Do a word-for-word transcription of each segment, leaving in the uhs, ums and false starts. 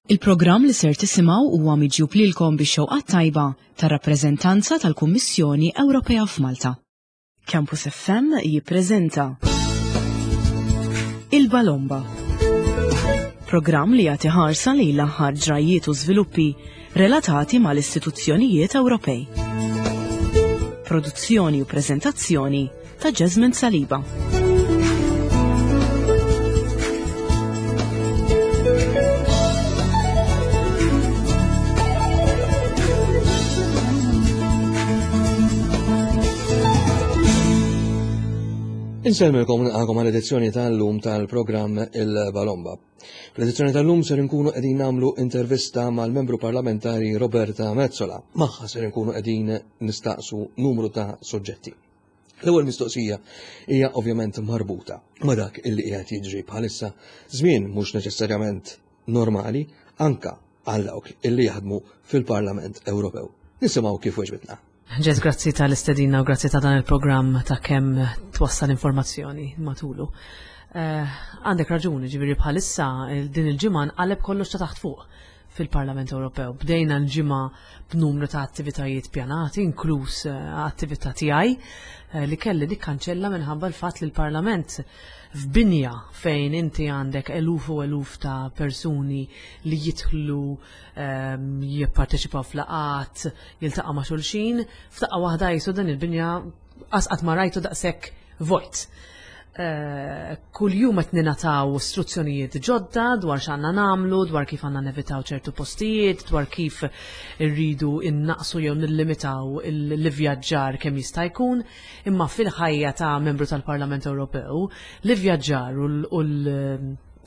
Il-programm li ser tisimgħu huwa miġjub lilkom bix-xewqat tajba tar-rappreżentanza tal-Kummissjoni Ewropea f'Malta. Campus F M jippreżenta Il-Balomba. Programm li jagħti ħarsa lejn l-aħħar ġrajiet u żviluppi relatati mal-istituzzjonijiet Ewropej. Produzzjoni u preżentazzjoni ta' Jasmine Saliba. Insellmilkom, nilqagħkom għal edizzjoni tal-lum tal-programm Il-Balomba. Fl-edizzjoni tal-lum ser nkunu qegħdin nagħmlu intervista mal-membru parlamentari Roberta Metsola. Magħha ser nkunu qegħdin nistaqsu numru ta' soġġetti. L-ewwel mistoqsija hija ovvjament marbuta ma' dak illi qiegħed jiġri bħalissa, żmien mhux neċessarjament normali anka għal dawk illi jaħdmu fil-Parlament Ewropew. Nisimgħu kif weġbitna. Ġez, grazzi tal-istedina u grazzi ta' dan il-programm ta' kemm twassal informazzjoni matulu. Eh, għandek raġuni, ġifieri bħalissa din il-ġimgħa nqaleb kollox ta' taħt fuq fil-Parlament Ewropew. Bdejna l-ġimgħa b'numru ta' attivitajiet pjanati, inkluż eh, attività tiegħi eh, li kelli nikkanċella minħabba l-fatt li l-Parlament f'binja fejn inti għandek eluf u eluf ta' persuni li jidħlu, ehm, jipparteċipaw f'laqgħat, jiltaqa' ma' xulxin, f'daqqa waħda jisu dan il-binja qatt ma rajtu daqshekk vojt. Uh, kull jum qed ningħataw istruzzjonijiet ġodda dwar x'għandna nagħmlu, dwar kif għandna nevitaw ċertu postijiet, dwar kif irridu innaqsu jew nillimitaw l-ivvjaġġar kemm jista' jkun, imma fil-ħajja ta' membru tal-Parlament Ewropew, l-ivvjaġġar u l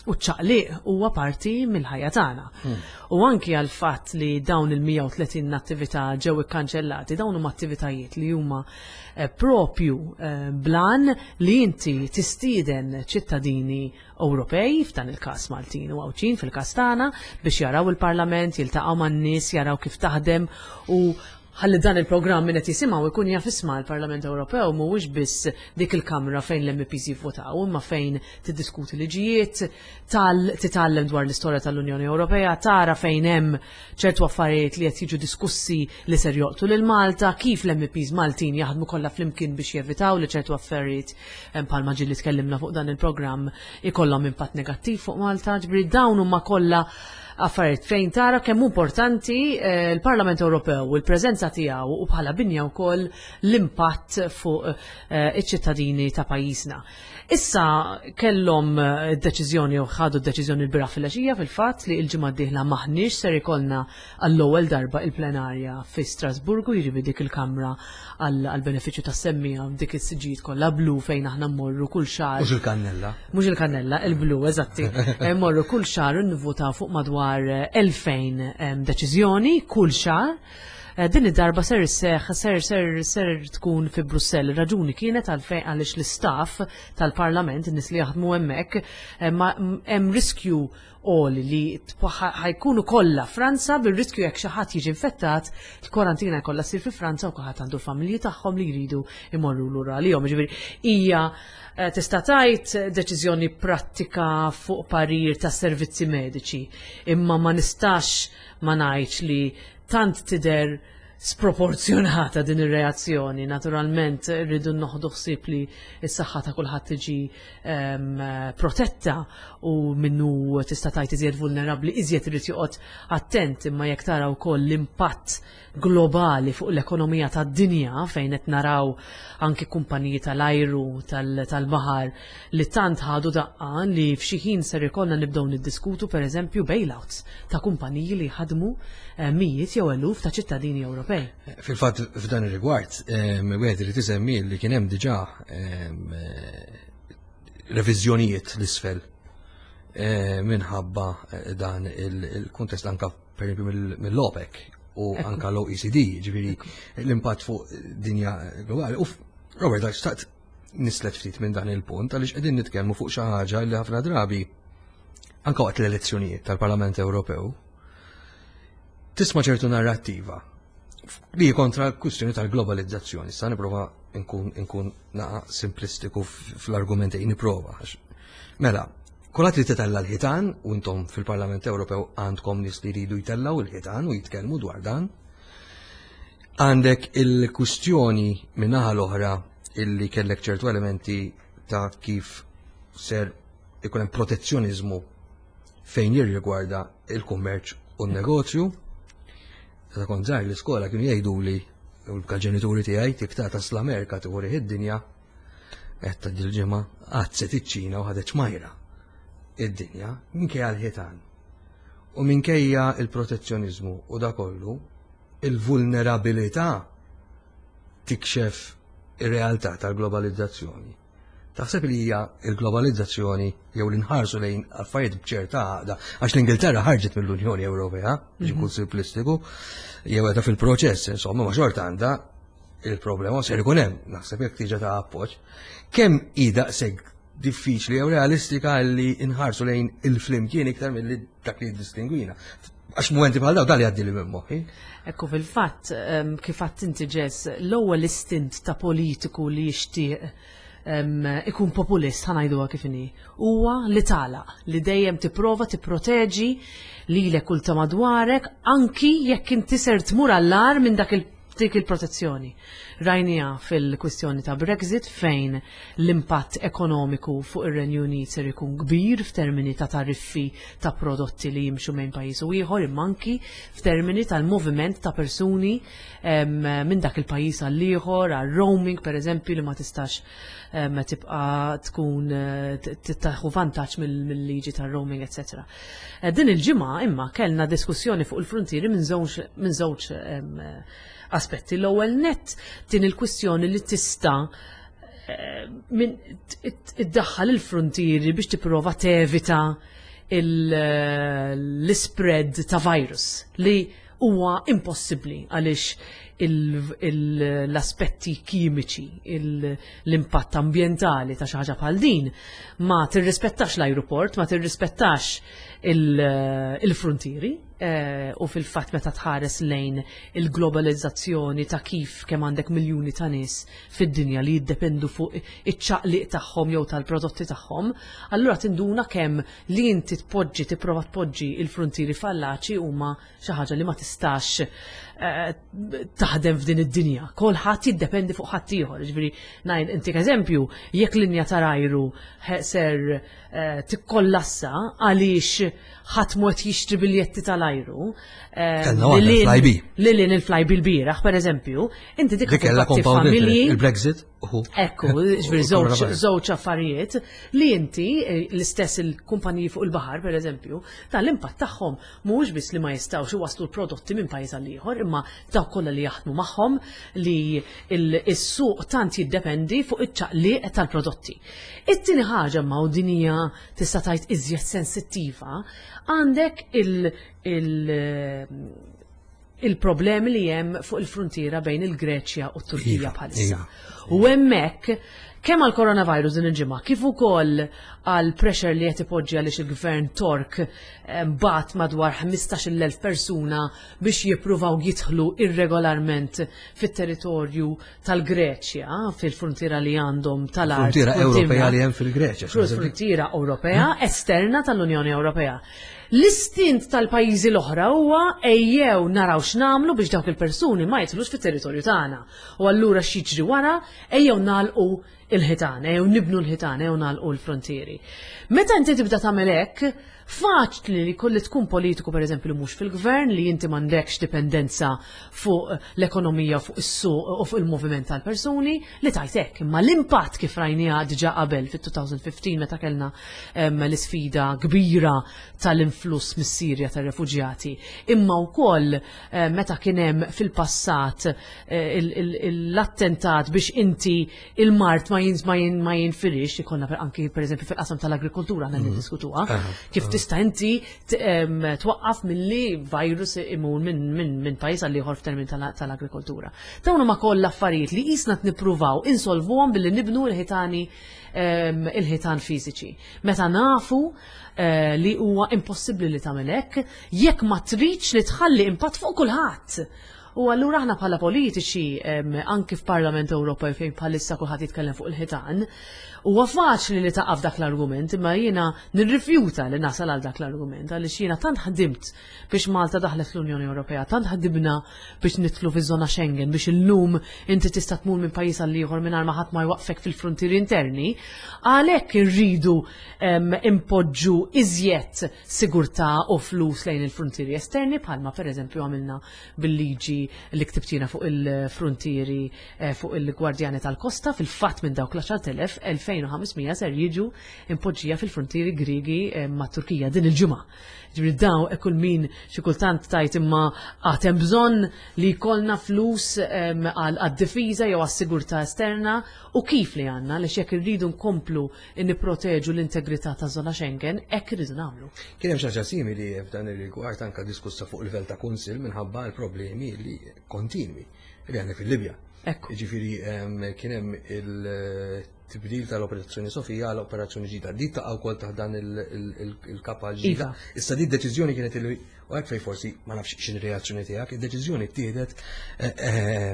u ċaqliq huwa parti mill-ħajja tagħna. Hmm. U anki għal fatt li dawn il-mija u tletin attività ġew ikkanċellati, dawn huma attivitajiet li huma eh, propju eh, bl-għan li inti tistieden ċittadini Ewropej, f'dan il-każ Maltin u Għawdxin fil-każ tagħna, biex jaraw il-Parlament, jiltaqgħu man-nies, jaraw kif taħdem u ħalli dan il-programm min qed jisimgħu jkun jaf, isma', l-Parlament Ewropew mhuwiex biss dik il-kamra fejn l-M Ps jivvotaw, imma fejn tiddiskuti liġijiet, titgħallem dwar l-istorja tal-Unjoni Ewropea, tara fejn hemm ċertu affarijiet li qed jiġu diskussi li ser jolqtu lil Malta, kif l-M Ps Maltin jaħdmu kollha flimkien biex jevitaw li ċertu affarijiet, bħalma ġieli tkellimna fuq dan il-programm, ikollhom impatt negattiv fuq Malta. Ġifieri dawn huma kollha affarijiet fejn tara kemm importanti eh, l-Parlament Ewropew u l-preżenza tiegħu u bħala binja wkoll l-impatt fuq eh, iċ-ċittadini ta' pajjiżna. Issa kellhom eh, deċiżjoni u ħadu d-deċiżjoni l-bieraħ fil-għaxija fil-fatt li l-ġimgħa d-dieħla maħniex ser ikollna għall-ewwel darba il-plenarja fi Strasburgu, jiġifieri dik il-kamra għall-benefiċċju tas-semmiegħa, dik is-siġijiet kollha blu fejn aħna mmorru kull xahar. Mhux il-kannella. Mhux il-kannella, il-blu, eżatti. Mmorru kull xahar nivvotaw fuq madwar elfejn deċiżjoni kull xahar. Eh, din id-darba ser isseħ, ser ser ser tkun fi Brussell. Raġuni kienet għalfejn, għaliex l-istaff tal-Parlament, in-nies li jaħdmu hemmhekk, eh, hemm riskju għoli li ħa jkunu kollha Franza, bil-riskju jekk xi ħadd jiġi infettat, il-kwarantina jkollha ssir fi Franza u kulħadd għandu l-familji tagħhom li jridu imorru lura għalihom. Ġifieri hija eh, tista' tgħid deċiżjoni prattika fuq parir ta' servizzi mediċi, imma ma nistax ma ngħidx li tant tidher sproporzjonata din ir-reazzjoni. Naturalment rridu noħdu ħsieb li s-saħħa ta' kulħadd tiġi um, protetta u minnu tista' tgħid iżjed vulnerabbli iżjed irid joqgħod attent, imma jekk tara wkoll l-impatt globali fuq l-ekonomija tad-dinja, fejn qed naraw anki kumpaniji tal-ajru, tal-baħar li tant ħadu daqqa li f'xi ħin ser ikollna nibdew niddiskutu, pereżempju, bailouts ta' kumpaniji li ħadmu eh, mijiet jew eluf ta' ċittadini Ewropej. Fil-fatt, f'dan ir-rigward, wieħed irid isemmi li kien hemm diġà reviżjonijiet l-isfel minħabba eh, dan il-kuntest, anka per mill-OPEC u anka l-O E C D, ġifieri l-impatt fuq dinja globali. U Robert, xtaqt nislet ftit minn dan il-punt għaliex qegħdin nitkellmu fuq xi ħaġa li ħafna drabi, anka waqt l-elezzjonijiet tal-Parlament Ewropew, tisma' ċertu narrattiva li kontra l-kwistjoni tal-globalizzazzjoni. Sa nipprova nkun nkun naqa simplistiku fl-argumenti, nipprova. Mela, Kulħadd li titella l-ħitan, u intom fil-Parlament Ewropew għandkom nies li jridu jtellaw il-ħitan u jitkellmu dwar dan. Għandek il-kwistjoni min-naħa l-oħra illi kellek ċertu elementi ta' kif ser ikun hemm protezzjonizmu fejn jirrigwarda il-kummerċ u n-negozju. Meta kont żgħir l-iskola kienu jgħiduli u l-ġenituri tiegħi tiktata l-Amerika tieħu id-dinja qed ta' dil-ġimgħa għaddset iċ-Ċina u ħadet ċmajra id-dinja minkejja l-ħitan. U minkejja il-protezzjonizmu u da kollu, il-vulnerabilità tikxef ir-realtà tal-globalizzazzjoni. Taħseb li hija il-globalizzazzjoni jew li nħarsu lejn affarijiet b'ċerta għaqda, għax l-Ingilterra ħarġet mill-Unjoni Ewropea, biex nkun simplistiku, jew qiegħda fil-proċess, insomma, ma xorta għandha il-problema ser ikun hemm, naħseb jekk tiġa ta' appoġġ. Kemm hi daqshekk diffiċli jew realistika li nħarsu lejn il-flimkien iktar milli dak li jiddistingwina? Għax momenti bħal daw dal jgħaddi li minn moħħi. Ekku fil-fatt, em, kif għedt inti Jess, l-ewwel istint ta' politiku li jixtieq em, ikun populist, ħa ngħiduha kif inhi, huwa li tagħlaq, li dejjem tipprova tipproteġi lilek u ta' madwarek anki jekk inti ser tmur għall-agħar minn dak il dik il-protezzjoni. Rajnieha fil-kwistjoni ta' Brexit fejn l-impatt ekonomiku fuq ir-Renju Unit ser ikun kbir f'termini ta' tariffi ta' prodotti li jimxu minn pajjiż u ieħor imma anki f'termini tal-moviment ta' persuni em, minn dak il-pajjiż għall ieħor għal roaming per eżempju li ma tistax em, tibqa tkun eh, t- tieħu vantaġġ mill- mill-liġi tar-roaming, eċċetera. Eh, Din il-ġimgħa imma kellna diskussjoni fuq il-frontieri minn żewġ minn żewġ em, aspetti. L-ewwel net din il-kwistjoni li tista' eh, minn iddaħħal il-frontieri biex tipprova tevita l-spread ta' virus li huwa impossibbli għaliex l-aspetti kimiċi, l-impatt ambjentali ta' xi ħaġa bħal din ma tirrispettax l-ajruport, ma tirrispettax il-frontieri eh, u fil-fatt meta tħares lejn il-globalizzazzjoni ta' kif kemm għandek miljuni ta' nies fid-dinja li jiddependu fuq iċ-ċaqliq tagħhom jew tal-prodotti tagħhom, allura tinduna kemm li inti tpoġġi tipprova tpoġġi il-frontieri fallaċi huma xi ħaġa li ma tistax eh, taħdem f'din id-dinja. Kulħadd jiddependi fuq ħadd ieħor. Ġifieri ngħid intik eżempju, jekk linja tal-ajru ser eh, tikkollassa għaliex ħadd mod jixtri biljetti tal-ajru. eh, Kellna waħda, il-Flybe. Li lin il-Flybe l-bieraħ, per eżempju, inti dik Dik kellha tibatti compound familji. il-Brexit. uhu. Ekku, ġifieri żewġ Coronavirus. żewġ affarijiet li inti eh, l-istess il-kumpaniji fuq il-baħar, per eżempju, tal-impatt tagħhom mhuwiex biss li ma jistgħux iwasslu l-prodotti minn pajjiż għal ieħor, imma dawk kollha li jaħdmu magħhom li il- is-suq tant jiddependi fuq iċ-ċaqliq tal-prodotti. It-tieni ħaġa ma u din hija tista' tgħid iżjed sensittiva, għandek il- il- il-problemi li hemm fuq il-frontiera bejn il-Greċja u t-Turkija Iva, bħalissa. iva. U hemmhekk kemm għal coronavirus din il-ġimgħa, kif ukoll għal pressure li qed ipoġġi għaliex il-gvern Tork eh, bagħat madwar ħmistax-il elf persuna biex jippruvaw jidħlu irregolarment fit-territorju tal-Greċja, fil-frontiera li għandhom tal-art. Frontiera Ewropea qudiemna. li hemm fil-Greċja. Fil-frontiera Ewropea esterna tal-Unjoni Ewropea. L-istint tal-pajjiżi l-oħra huwa ejjew naraw x'nagħmlu biex dawk il-persuni ma jidħlux fit-territorju tagħna. U allura x'jiġri wara ejjew nagħlqu il-ħitan, ejjew nibnu l-ħitan, ejjew nagħlqu l-frontieri. Meta inti tibda tagħmel hekk, faċli li kolli tkun politiku per eżempju li mhux fil-gvern li inti m'għandekx dipendenza fuq l-ekonomija, fuq is-suq u fuq il-moviment tal-persuni li tajt hekk. Imma l-impatt kif rajniha diġà qabel fit-elfejn u ħmistax meta kellna em, l-isfida kbira tal-influss mis-Sirja tar-refuġjati, imma wkoll eh, meta kien hemm fil-passat eh, il- il- l-attentat biex inti il-mard ma jins ma jin ma jinfirix, ikollna per anki per eżempju fil-qasam tal-agrikoltura għandna niddiskutuha, kif tista' inti t- em, twaqqaf milli virus imur minn min, min pajjiż għal ieħor f'termini tal- tal-agrikoltura. Dawn huma kollha affarijiet li qisna nippruvaw insolvuhom billi nibnu l-ħitani em, il-ħitan fiżiċi. Meta nafu eh, li huwa impossibbli li tagħmel hekk jekk ma tridx li tħalli impatt fuq kulħadd. U allura aħna bħala politiċi, anki f'Parlament Ewropew fejn bħalissa kulħadd jitkellem fuq il-ħitan, huwa faċli li taqaf dak l-argument, imma jiena nirrifjuta li nasal għal dak l-argument, għaliex jiena tant ħdimt biex Malta daħlet l-Unjoni Ewropea, tant ħdimna biex nidħlu fiż-żona Schengen, biex illum inti tista' tmur minn pajjiż għal ieħor mingħajr ma ħadd ma jwaqfek fil-frontieri interni, għalhekk irridu impoġġu iżjed sigurtà u flus lejn il-frontieri esterni, bħalma pereżempju għamilna bil-liġi li ktibt jiena fuq il-frontieri, fuq il-Gwardjani tal-Kosta. Fil-fatt minn dawk l-għaxart elef, elfejn u ħames mija ser jiġu impoġġija fil-frontieri Griegi ma' Turkija din il-ġimgħa. Ġifieri daw kull min xi kultant tajt imma għad hemm bżonn li jkollna flus għad-difiża jew għas-sigurtà esterna, u kif li għandna li jekk irridu nkomplu nipproteġu l-integrità ta' żona Schengen, hekk irridu nagħmlu. Kien hemm xi ħaġa simili f'dan ir-rigward anke diskussa fuq livell ta' kunsill minħabba l-problemi li kontinwi li għandna fil-Libja. Ekku. Ġifieri kien hemm il-tibdil tal-Operazzjoni Sofija għal Operazzjoni ġdida. Di taqa' wkoll taħt dan il-kapa ġdida. Iva. Issa di deċiżjoni kienet li, u hekk fej forsi ma nafx x'in reazzjoni tiegħek, id-deċiżjoni ttieħdet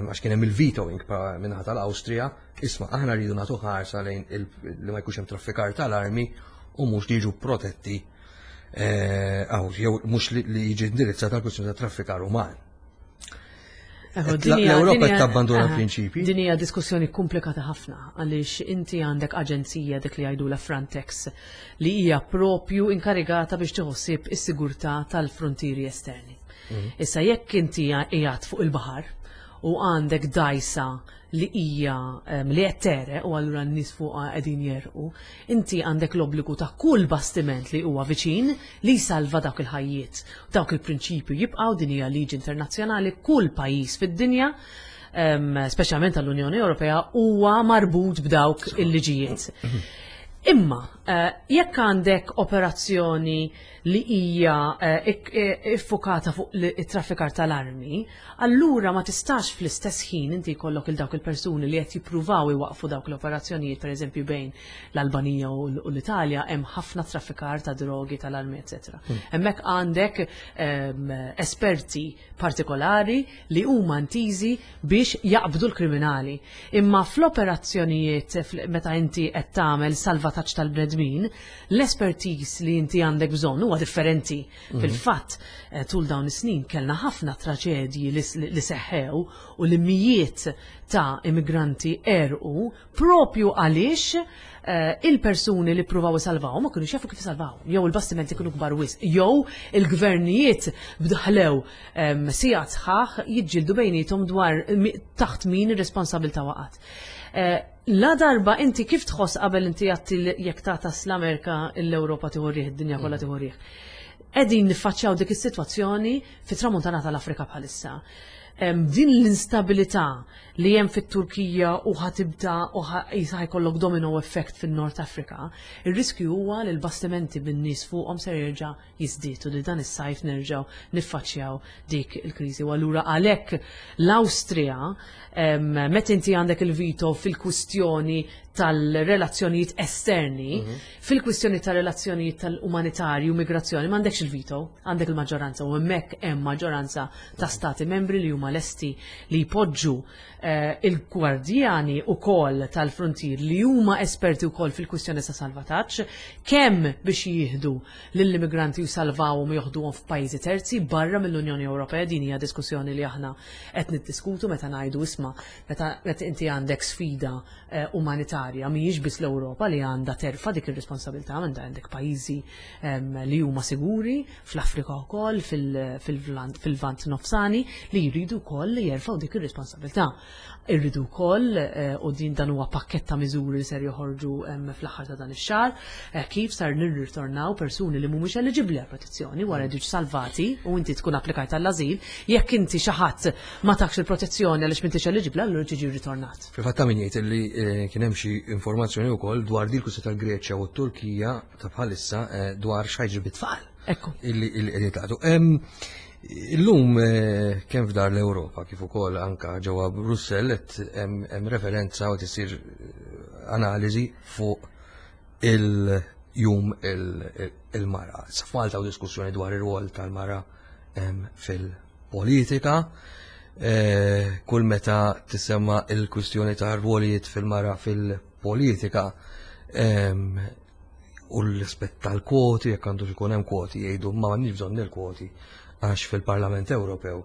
għax kien hemm il-vetoing minnaħa tal-Awstrija, isma' aħna rridu nagħtu ħarsa lejn li ma jkunx hemm traffikar tal-armi u mhux li jiġu protetti, jew mhux li jiġi indirizzata l-kwistjoni ta' traffikar uman. L-Ewropa tabbandona l-prinċipi. Din hija diskussjoni komplikata ħafna, għaliex inti għandek aġenzija, dik li jgħidula Frontex, li hija propju inkarigata biex tħossib is-sigurtà tal-frontieri esterni. Issa jekk inti qiegħed fuq il-baħar u għandek dajsa li hija li qed tereq u allura n-nies fuqha qegħdin jerqu, inti għandek l-obbligu ta' kull bastiment li huwa viċin li jsalva dawk il-ħajjiet. Dawk il-prinċipju jibqgħu, din hija liġi internazzjonali, kull pajjiż fid-dinja, speċjalment tal-Unjoni Ewropea, huwa marbut b'dawk il-liġijiet. Imma, jekk għandek operazzjoni li hija iffokata fuq it-traffikar tal-armi, allura ma tistax fl-istess ħin inti jkollok il dawk il-persuni li qed jippruvaw iwaqfu dawk l-operazzjonijiet, pereżempju bejn l-Albanija u l-Italja hemm ħafna traffikar ta' drogi, tal-armi, eċetera. Hemmhekk għandek esperti partikolari li huma intiżi biex jaqbdu l-kriminali. Imma fl-operazzjonijiet meta inti qed tagħmel salvataġġ tal-bnedmin, l-expertise li inti għandek bżonn huwa differenti. Fil-fatt, tul dawn is-snin kellna ħafna traġedji li seħħew u li mijiet ta' immigranti erqu propju għaliex il-persuni li pruvaw isalvaw ma kienu jafu kif isalvaw, jew il-bastimenti kienu kbar wisq, jew il-gvernijiet bdaħlew sigħat sħaħ jiġġieldu bejniethom dwar taħt min ir-responsabilità waqgħet. La darba inti kif tħoss qabel inti għatti jekk tagħtas l-Amerika, l-Ewropa tieħu riħ, id-dinja kollha tieħu riħ. Qegħdin niffaċċjaw dik is-sitwazzjoni fit-tramuntana tal-Afrika bħalissa. Din l-instabilità li hemm fit-Turkija u ħatibda u ħajkollok domino effect fin-North Africa, ir-riskju huwa li l-bastimenti bin-nies fuqhom ser jerġa' jiżdiedu li dan is-sajf nerġgħu niffaċċjaw dik il-kriżi. U allura għalhekk l-Awstrija, meta inti għandek il-veto fil-kwistjoni tal-relazzjonijiet esterni, fil-kwistjoni tal-relazzjonijiet tal-umanitarju, migrazzjoni, m'għandekx il-veto, għandek il-maġġoranza, u hemmhekk hemm maġġoranza ta' stati membri li huma lesti li jpoġġu il-gwardjani ukoll tal-frontier li huma esperti wkoll fil-kwistjoni ta' salvataġġ, kemm biex jieħdu lill-immigranti u salvawhom u joħduhom f'pajjiżi terzi barra mill-Unjoni Ewropea. Din hija diskussjoni li aħna qed niddiskutu meta ngħidu isma' meta inti għandek sfida umanitarja mhijiex biss l-Ewropa li għandha terfa' dik ir-responsabilità, għandha għandek pajjiżi li huma siguri fl-Afrika wkoll, fil-Lvant Nofsani, li jridu wkoll jerfgħu dik ir-responsabilità. Irridu wkoll, u din dan huwa pakkett ta' miżuri li ser joħorġu fl-aħħar ta' dan ix-xahar, kif sar nirritornaw persuni li mhumiex eliġibbli għal protezzjoni wara jiġu salvati u inti tkun applikajt għall-ażil, jekk inti xi ħadd ma takx il-protezzjoni għaliex m'intix eliġibbli, allura tiġi ritornat. Fil-fatt ta' min jgħid li kien hemm xi informazzjoni wkoll dwar din il-kwistjoni tal-Greċja u t-Turkija ta' bħalissa dwar x'ħajġri bit-tfal. Ekku. Illi qegħdin jitaqgħu. Illum kemm f'dar l-Ewropa kif ukoll anka ġewwa Brussell qed hemm referenza u tisir analiżi fuq il-jum il-mara. Sa f'Malta u diskussjoni dwar ir-rwol tal-mara fil-politika. eh, kull meta tisemma il-kwistjoni ta' rwolijiet fil-mara fil-politika em, u l-rispett tal-kwoti, jekk għandu ikun hemm kwoti, jgħidu ma m'għandniex bżonn il-kwoti għax fil-Parlament Ewropew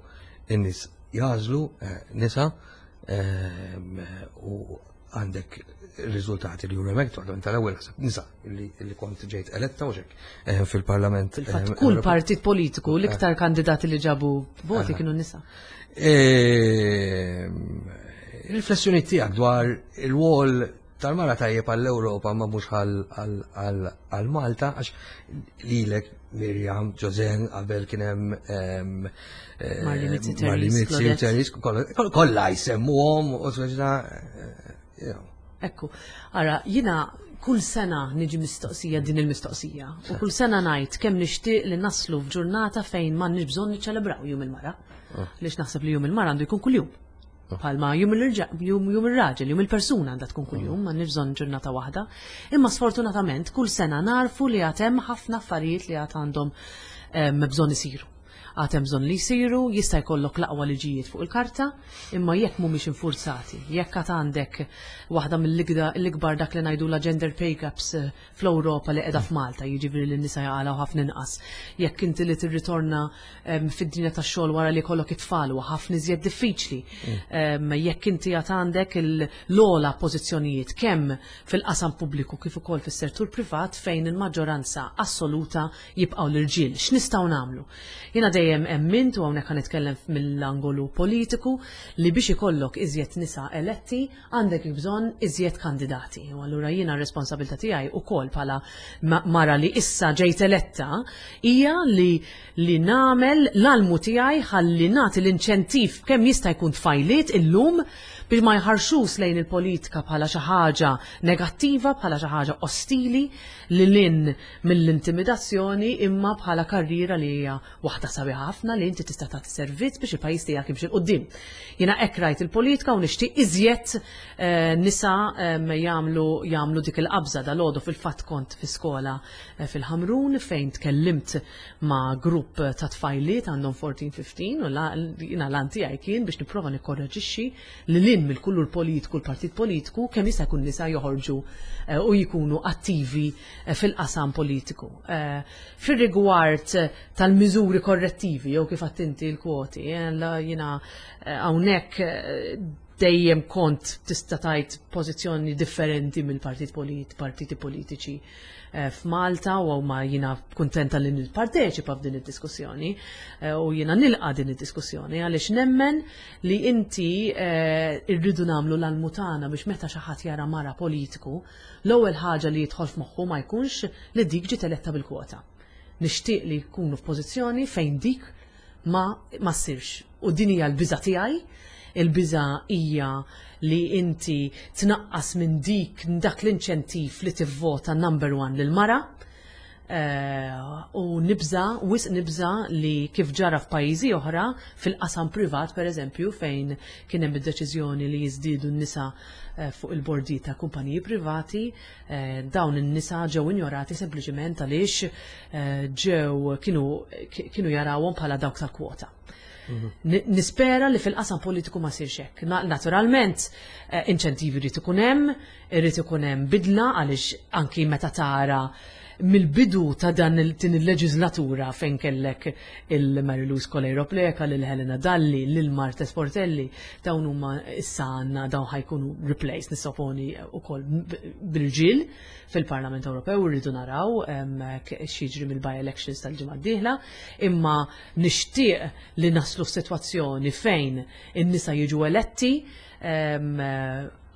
in-nies jagħżlu eh, nisa em, u għandek riżultati li juru hemmhekk parlament tal-ewwel ħseb nisa li li kont ġejt eletta u xek eh, fil-Parlament. Fil-fatt eh, kull Ewropew. partit politiku l-iktar kandidati li ġabu voti kienu nisa. Ehm, Riflessjoni tiegħek dwar il-rwol tal-mara tajjeb għall-Ewropa ma mhux għal Malta għax lilek Mirjam, Joseanne, qabel kien hemm ehm, eh, Marlene Mizzi, Marlene Therese, Mizzi, Claudette. Therese, kollha- kollha jsemmuhom u speċi eh, you know. Ekku, ara, jina kull sena niġi mistoqsija din il-mistoqsija. U kull sena ngħid kemm nixtieq li naslu f'ġurnata fejn m'għandniex bżonn niċċelebraw jum il-mara. Lix naħseb li jum il-mara għandu jkun kuljum. Palma jum il-irġa- jum jum ir-raġel, jum il-persuna għandha tkun kuljum, m'għandniex bżonn ġurnata waħda. Imma sfortunatament kull sena narfu li għad hemm ħafna affarijiet li għad għandhom em, bżonn isiru. Għad hemm bżonn li jsiru, jista' jkollok l-aqwa liġijiet fuq il-karta, imma jekk mhumiex infurzati, jekk għad għandek waħda mill-ikbar dak li ngħidu la gender pay gaps eh, fl-Ewropa li qiegħda f'Malta, jiġifieri li n-nisa jaqalgħu ħafna inqas. Jekk inti li tirritorna em, fid-dinja tax-xogħol wara li jkollok it-tfal huwa ħafna iżjed diffiċli. Em, Jekk inti għad għandek l-ogħla pożizzjonijiet kemm fil-qasam pubbliku kif ukoll fis-settur privat fejn il-maġġoranza assoluta jibqgħu l-irġiel. X'nistgħu nagħmlu? Jiena dejjem emmint u hawnhekk nitkellem mill-angolu politiku li biex ikollok iżjed nisa eletti għandek bżonn iżjed kandidati. U allura jiena r-responsabilità tiegħi ukoll bħala ma- mara li issa ġejt eletta hija li li nagħmel l-almu tiegħi ħalli nagħti l-inċentiv kemm jista' jkun tfajliet illum biex ma jħarsux lejn il-politika bħala xi ħaġa negattiva, bħala xi ħaġa ostili li lin mill-intimidazzjoni imma bħala karriera li hija waħda sabiħa ħafna li inti tista' tagħti servizz biex il-pajjiż tiegħek jimxi 'l quddiem. Jiena hekk rajt il-politika u nixtieq iżjed eh, nisa em, jagħmlu jagħmlu dik il-qabża dalgħodu fil-fatt kont fi skola eh, fil-Ħamrun fejn tkellimt ma' grupp ta' tfajliet għandhom erbatax ħmistax u la- jiena l-għan tiegħi kien biex nipprova nikkorreġixxi li lin mill-kulur politiku l-partit politiku kemm jista' jkun nisa joħorġu eh, u jkunu attivi eh, fil-qasam politiku. Eh, Fir-rigward eh, tal-miżuri korrettivi jew kif għedt inti l-kwoti, eh, la- jiena eh, hawnhekk eh, dejjem kont tista' tgħid pożizzjoni differenti mill-partit polit, partiti politiċi eh, f'Malta u ma jiena kuntenta li nipparteċipa f'din id-diskussjoni eh, u jiena nilqa din id-diskussjoni għaliex nemmen li inti eh, irridu nagħmlu l-almu tagħna biex meta xi ħadd jara mara politiku, l-ewwel ħaġa li jidħol f'moħħu ma jkunx li dik ġiet eletta bil-kwota. Nixtieq li jkunu f'pożizzjoni fejn dik ma ma ssirx. U din hija l-biża tiegħi, il-biża hija li inti tnaqqas minn dik dak l-inċentiv li tivvota number one lil mara Eh, u nibża, wisq nibża li kif ġara f'pajjiżi oħra fil-qasam privat per eżempju fejn kien hemm id-deċiżjoni li jiżdiedu n-nisa eh, fuq il-bordi ta' kumpaniji privati, eh, dawn in-nisa ġew injorati sempliċement għaliex eh, ġew kienu kienu jarawhom bħala dawk tal-kwota. Ni- Nispera li fil-qasam politiku ma sirx hekk. Na- Naturalment, eh, inċentivi rrid ikun hemm, irid ikun hemm bidla għaliex anki meta tara mill-bidu ta' dan il- din il-leġislatura fejn kellek il-Mary Louise Coleiro Preca, lil Helena Dalli, lil Marthese Portelli, dawn huma issa għandna dawn ħa jkunu replaced nissoponi ukoll bil-ġil fil-Parlament Ewropew rridu naraw em, k- x'jiġri mill-by-elections tal-ġimgħa d-dieħla, imma nixtieq li naslu f'sitwazzjoni fejn in-nisa jiġu eletti em,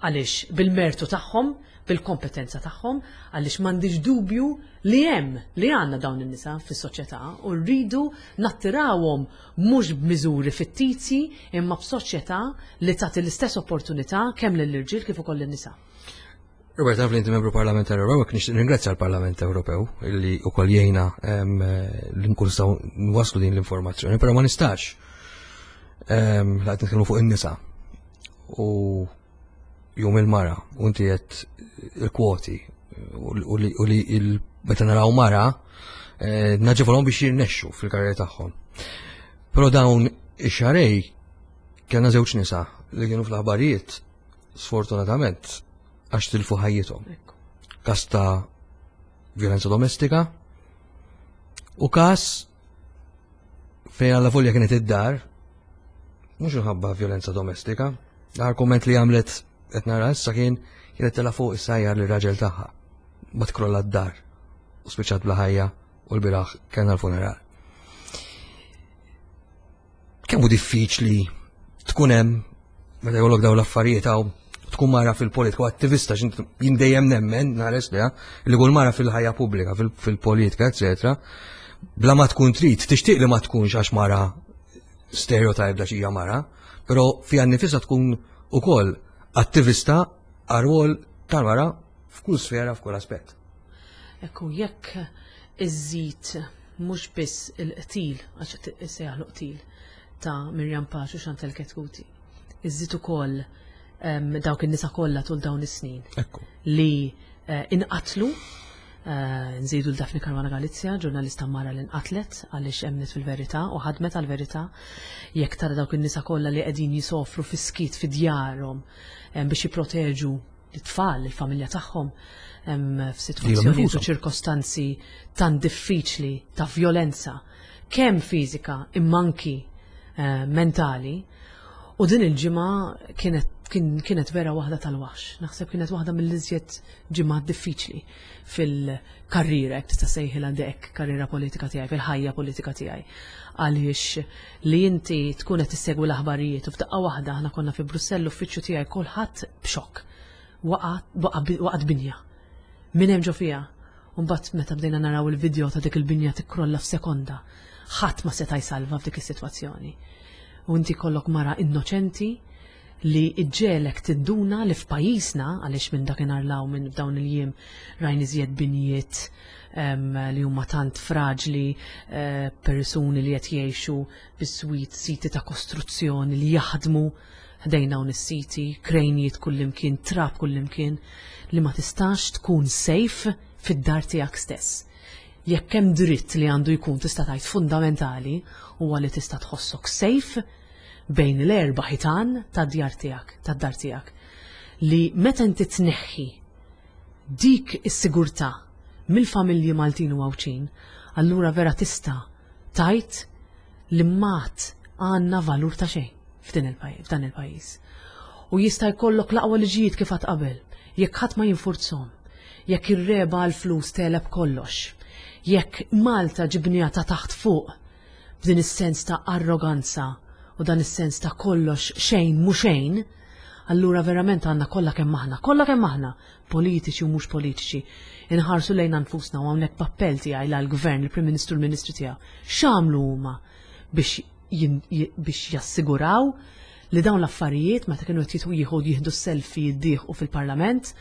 għaliex bil-mertu tagħhom, bil-kompetenza tagħhom, għaliex m'għandix dubju li hemm li għandna dawn in-nisa fis-soċjetà u rridu nattirawhom mhux b'miżuri fittizji imma b'soċjetà li tagħti l-istess opportunità kemm lill-irġiel kif ukoll lin-nisa. Robert, naf li inti membru parlamentari Ewropew, nixtieq ringrazzja l-Parlament Ewropew illi wkoll jgħinna em, li nkun nistgħu nwasslu din l-informazzjoni, però ma nistax em, la qed nitkellmu fuq in-nisa u jum il-mara u inti qed il-kwoti u li u li il- meta naraw mara eh, naġevolhom biex jirnexxu fil-karriera tagħhom. Però dawn ix-xahrejn Kellna żewġ nisa li kienu fl-aħbarijiet, sfortunatament, għax tilfu ħajjithom. Każ ta' violenza domestika u każ fejn alla volja kienet id-dar, mhux minħabba violenza domestika. L-aħħar komment li għamlet, qed nara issa, kien kienet tela fuq issajjar lir-raġel tagħha. Ma tkrolla d-dar u spiċċat bla ħajja u l-bieraħ kellna l-funeral. Kemm hu diffiċli tkun hemm meta jkollok dawn l-affarijiet hawn, tkun mara fil-politika u attivista, jien dejjem nemmen nares li li kull mara fil-ħajja pubblika, fil-politika, eccetera, bla ma tkun trid, tixtieq li ma tkunx għax mara, stereotype da xija mara, però fiha nnifisha tkun ukoll attivista għar-rwol tal-mara f'kull sfera, f'kull aspett. Ekku, jekk iżżid mhux biss il-qtil, għax issejjaħlu qtil, ta' Miriam Pace u Chantal Chetcuti, iżżid ukoll dawk in-nisa kollha tul dawn is-snin Ekku. li eh, inqatlu, eh, nżidu l-Daphne Caruana Galizia, ġurnalista mara li nqatlet għaliex emnet fil-verità u ħadmet għal-verità, jekk tara dawk in-nisa kollha li qegħdin jisofru fi-skiet fi djarhom biex jipproteġu l-tfal, il-familja tagħhom f'sitwazzjoni u ċirkostanzi tan diffiċli ta' violenza, kemm fiżika imma anki eh, mentali. U din il-ġimgħa kienet kienet vera waħda tal-waħx. Naħseb kienet waħda mill-iżjed ġimgħa diffiċli fil-karriera, jekk tista' sejħilha dek karriera politika tiegħi, fil-ħajja politika tiegħi. Għaliex li inti tkun qed tissegwi l-aħbarijiet u f'daqqa waħda, aħna konna fi Brussell, l-uffiċċju tiegħi, kulħadd b'xokk. Waqgħet binja. Min hemm ġo fiha? Mbagħad meta bdejna naraw il-video ta' dik il-binja tikkrolla f'sekonda, ħadd ma seta' jsalva f'dik is-sitwazzjoni. U inti kollok mara innoċenti li iġġelek tinduna li f'pajjiżna, għaliex minn dakinhar law minn f'dawn il-jiem rajn iżjed binjiet li huma tant fraġli, eh, persuni li qed jgħixu biswit siti ta' kostruzzjoni li jaħdmu ħdejn hawn is-siti, krejnijiet kullimkien, trab kullimkien, li ma tistax tkun safe fid-dar tiegħek stess. Jekk hemm dritt li għandu jkun, tista' tgħid, fundamentali, huwa li tista' tħossok safe bejn l-erba' ħitan tad-djar tiegħek, tad-dar tiegħek. Li meta inti tneħħi dik is-sigurtà mill-familji Maltin u Għawdxin, allura vera tista' tgħid li mat għandna valur ta' xejn f'din il-pajjiż, f'dan il-pajjiż. U jista' jkollok l-aqwa liġijiet kif għad qabel, jekk ħadd ma jinfurzhom, jekk ir-regħba għal-flus tegħleb kollox, jekk Malta ġibnija ta' taħt fuq b'din is-sens ta' arroganza u dan is-sens ta' kollox xejn mhu xejn, allura verament għandna kollha kemm aħna, kollha kemm aħna, politiċi u mhux politiċi, inħarsu lejn nfusna. U hawnhekk b'appell tiegħi għall-gvern, il-Prim Ministru, l-Ministri tiegħu. X'għamlu huma biex biex jassiguraw li dawn l-affarijiet, meta kienu qed jieħu jieħdu selfie jiddieħqu fil-Parlament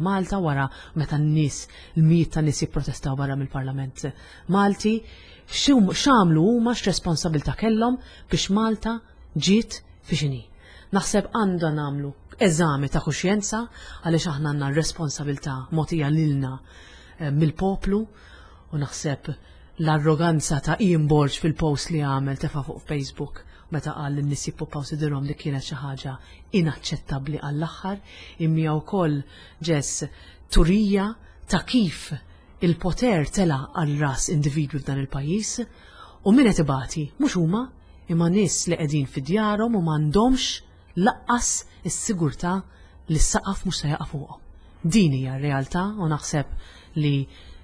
Malta wara, meta n-nies, l-mijiet ta' nies jipprotestaw barra mill-Parlament Malti, x'għamlu huma, x'responsabilità kellhom biex Malta ġiet fi xini? Naħseb għandha nagħmlu eżami ta' kuxjenza għaliex aħna għandna responsabilità mogħtija lilna mill-poplu u naħseb l-arroganza ta' Ian Borg fil-post li għamel, tefa' fuq Facebook, meta qal li n-nies jippuppaw sidirhom, li kienet xi ħaġa inaċċettabbli għall-aħħar, imma wkoll ġes turija ta' kif il-poter tela għal ras individwi f'dan il-pajjiż u min qed ibati mhux huma imma nies li qegħdin fi djarhom u m'għandhomx lanqas is-sigurtà li s-saqaf mhux se jaqa' fuqhom. Din hija r-realtà u naħseb li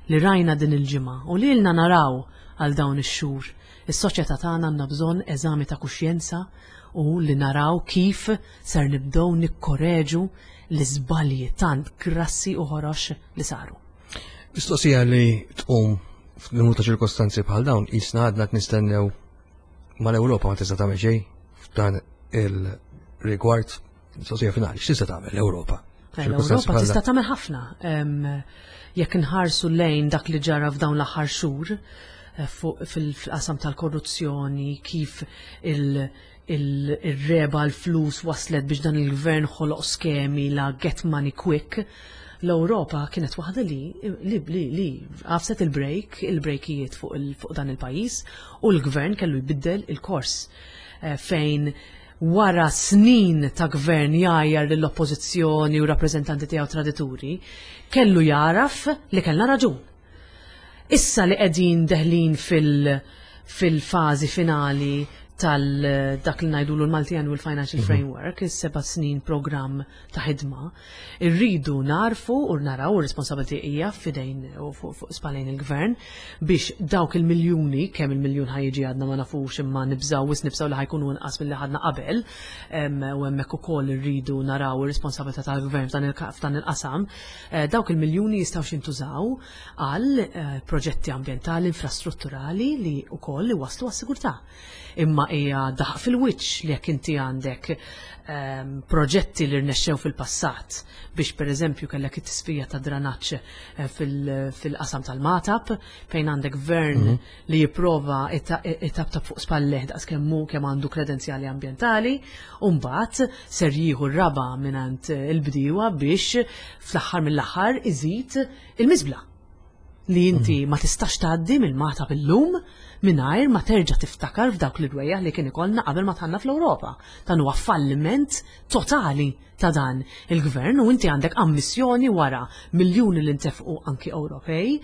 li rajna din il-ġimgħa u li ilna naraw għal dawn ix-xhur. Is-soċjetà tagħna għandna bżonn eżami ta' kuxjenza u li naraw kif ser nibdew nikkoreġu l-iżbalji tant grassi u ħorox li saru. Mistoqsija li tqum f'numru ta' ċirkostanzi bħal dawn, jisna għadna nistennew mal-Ewropa, ma tista' tagħmel xejn f'dan il-rigward? Mistoqsija finali, x'tista' tagħmel l-Ewropa? L-Ewropa tista' tagħmel ħafna. Jekk inħarsu lejn dak li ġara f'dawn l-aħħar xhur eh, fil-qasam tal-korruzzjoni, kif il-regħba l-flus waslet biex dan il-gvern ħoloq skemi la get money quick, l-Ewropa kienet waħda li li li, li għafset il-brake, il-brejkijiet fuq, il, fuq dan il-pajjiż u l-gvern kellu jbiddel il-kors eh, fejn Wara snin ta' gvern jgħajjar lill-oppożizzjoni u rappreżentanti tiegħu tradituri, kellu jaraf li kellna raġun. Issa li qegħdin deħlin fil- fil-fażi finali tal dak li ngħidulu l-Multi-Annual Financial mhm. Framework, is-seba' snin programm ta' ħidma, irridu narfu u naraw ir-responsabilità hija f'idejn u fuq spallejn il-gvern biex dawk il-miljuni, kemm il-miljun ħa jiġi għadna ma nafux, imma nibżaw wis nibżaw li ħa jkunu inqas milli ħadna qabel, u hemmhekk ukoll irridu naraw ir-responsabilità tal-gvern f'dan il-qasam, eh, dawk il-miljuni jistgħu jintużaw għal eh, proġetti ambjentali, infrastrutturali li wkoll iwasslu għas-sigurtà. Imma hija daħq fil-wiċċ li jekk inti għandek um, proġetti li rnexxew fil-passat biex, per eżempju, kellek it-tisfija ta' dranaġġ eh, fil-qasam tal-Magħtab, fejn għandek gvern mm -hmm. li jipprova itaptap fuq spalleh daqs kemm hu kemm għandu kredenzjali ambjentali, u mbagħad ser jieħu r-raba mingħand il-bdiewa biex fl-aħħar mill-aħħar iżid il-miżbla li inti mm. ma tistax tgħaddi mill-Magħtab illum mingħajr ma terġa' tiftakar f'dawk l-irwejjaħ li kien ikollna qabel ma dħalna fl-Ewropa. Dan huwa falliment totali ta' dan il-gvern u inti għandek ammissjoni wara miljuni li ntefqu anki Ewropej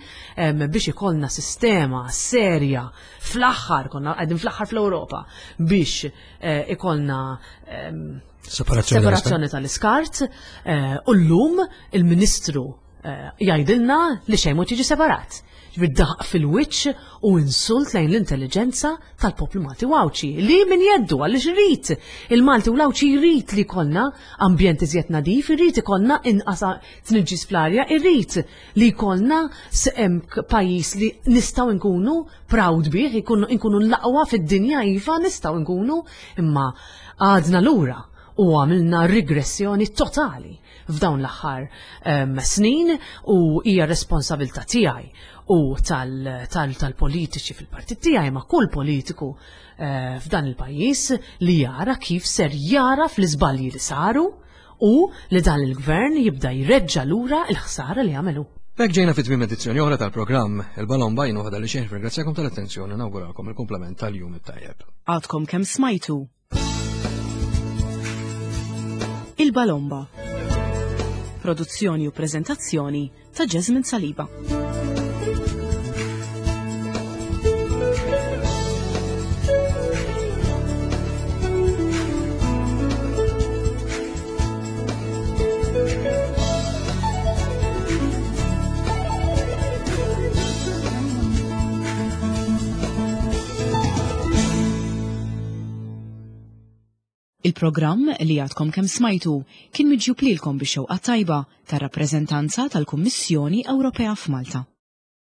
biex ikollna sistema serja fl-aħħar, konna qegħdin fl-aħħar fl-Ewropa, biex eh, ikollna separazzjoni tal-iskart eh, u llum il-Ministru eh, jgħidilna li xejn mhu tiġi separat. Ġifieri daħq fil-wiċċ u insult lejn l-intelligenza tal-poplu Malti u Għawdxi li min jeddu għaliex irid il-Malti u l-Għawdxi jrid li jkollna ambjent iżjed nadif, irid ikollna inqas tniġġis fl-arja, irrid li jkollna pajjiż li nistgħu nkunu proud bih, nkunu l-aqwa fid-dinja, iva, nistgħu nkunu, imma għadna lura u għamilna regressjoni totali f'dawn l-aħħar um, snin u hija responsabilità tiegħi u tal-politiċi fil-partit tiegħi, ma' kull politiku uh, f'dan il-pajjiż li jara kif ser jara fl-iżbalji li saru u li dan il-gvern jibda jreġġa lura il-ħsara li għamelu. B'hekk ġejna fi tmiem edizzjoni oħra tal-programm Il-Balomba. Jien waħda li xejn ringrazzjakom tal-attenzjoni, nawguralkom il-komplement tal-jum it-tajjeb. Għadkom kemm smajtu Il-Balomba. Produzzjoni u prezentazzjoni ta' Jasmine Saliba. Il-programm li għadkom kemm smajtu kien miġjub lilkom bix-xewqa tajba tar-rappreżentanza tal-Kummissjoni Ewropea f'Malta.